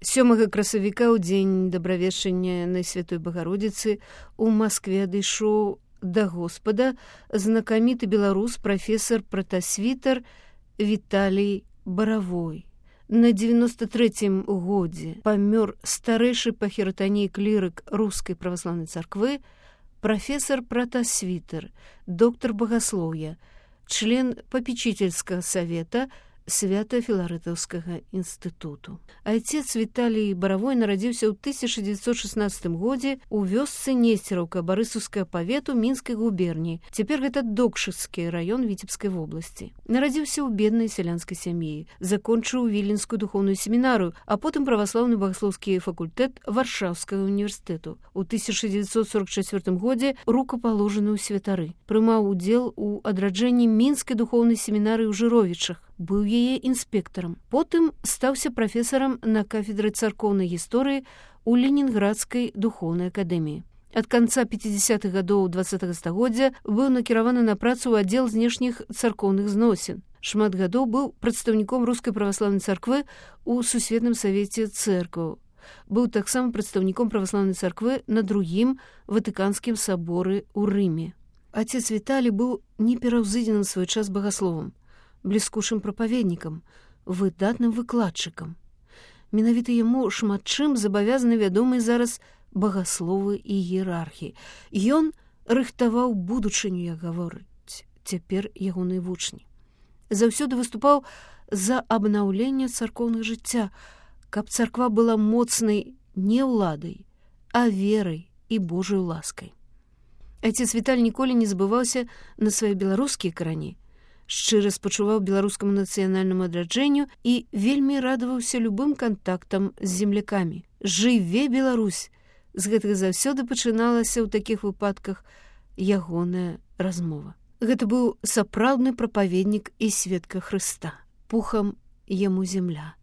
7 красавіка ў дзень дабравешчання Найсвятой Багародзіцы у Маскве адышоў да Господа знакаміты беларус прафесар пратасвітар Віталій Баравой. На 93-м годзе памёр старэйшы па хіратаніі клірык рускай праваслаўнай царквы прафесар пратасвітар, доктар багаслоўя, член папечительскага савета Свято-Філарэтаўскага інстытуту. Айцец Віталій Баравой нарадзіўся ў 1916 годзе ў вёсцы Несцераўка Барысаўскага павету Мінскай губерніі. Цяпер гэта Докшыцкі раён Віцебскай вобласці. Нарадзіўся ў беднай сялянскай сям'і, закончыў Віленскую духоўную семінарыю, а потым праваслаўны багаслоўскі факультэт Варшаўскага універсітэту. У 1944 годзе рукапаложаны ў святары. Прымаў удзел у адраджэнні Мінскай духоўнай семінарыі ў Жыровічах. Быў яе інспектарам. Потым стаўся прафесарам на кафедры царкоўнай гісторыі ў Ленінградскай духоўнай акадэміі. Ад канца 50-х гадоў 20-го стагоддзя быў накіраваны на працу ў аддзел знешніх царкоўных зносін. Шмат гадоў быў прадстаўніком рускай праваслаўнай царквы ў Сусветным савеце цэркваў. Быў таксама прадстаўніком праваслаўнай царквы на другім Ватыканскім саборы ў Рыме. Отец Віталій быў непераўзыдзеным свой час багасловам, бліскучым прапаведнікам, выдатным выкладчыкам. Менавіта яму шмат чым забавязаны вядомыя зараз багасловы і іерархі. Ён рыхтаваў будучыню, як гаворыць цяпер ягоныя вучні. Заўсёды выступаў за абнаўленне царкоўнага жыцця, каб царква была моцнай не ўладай, а верай і Божаю ласкай. Айцец Віталій ніколі не забываўся на свае беларускія карані, шчыра спачуваў беларускаму нацыянальнаму адраджэнню і вельмі радаваўся любым кантактам з землякамі. Жыве Беларусь! З гэтага заўсёды пачыналася ў такіх выпадках ягоная размова. Гэта быў сапраўдны прапаведнік і сведка Хрыста. Пухам яму земля.